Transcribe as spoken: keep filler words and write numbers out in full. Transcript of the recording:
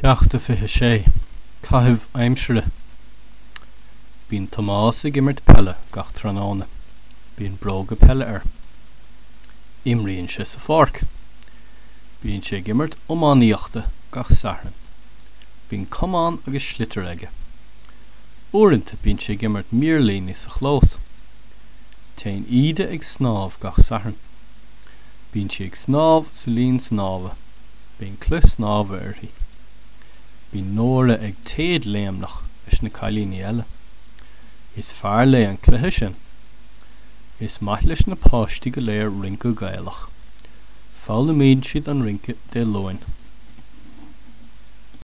Ceacht a fiche sé. Caitheamh aimsire. Bíonn Tomás ag imirt peile gach tráthnóna. Bíonn bróga peile air. Imríonn sé sa pháirc. Bíonn sé ag imirt iománaíochta gach Satharn. Bíonn camán agus sliotar aige. Uaireanta bíonn sé ag imirt mirlíní sa chlós. Téann Íde ag snámh gach Satharn. Bíonn sí ag snámh sa linn snámha. Bíonn culaith snámha uirthi. Bíonn Nóra ag téadléimneach leis na cailíní eile. Is fearr léi an cluiche sin. Is maith leis na páistí go léir rince Gaelach. Foghlaimíonn siad an rince Dé Luain.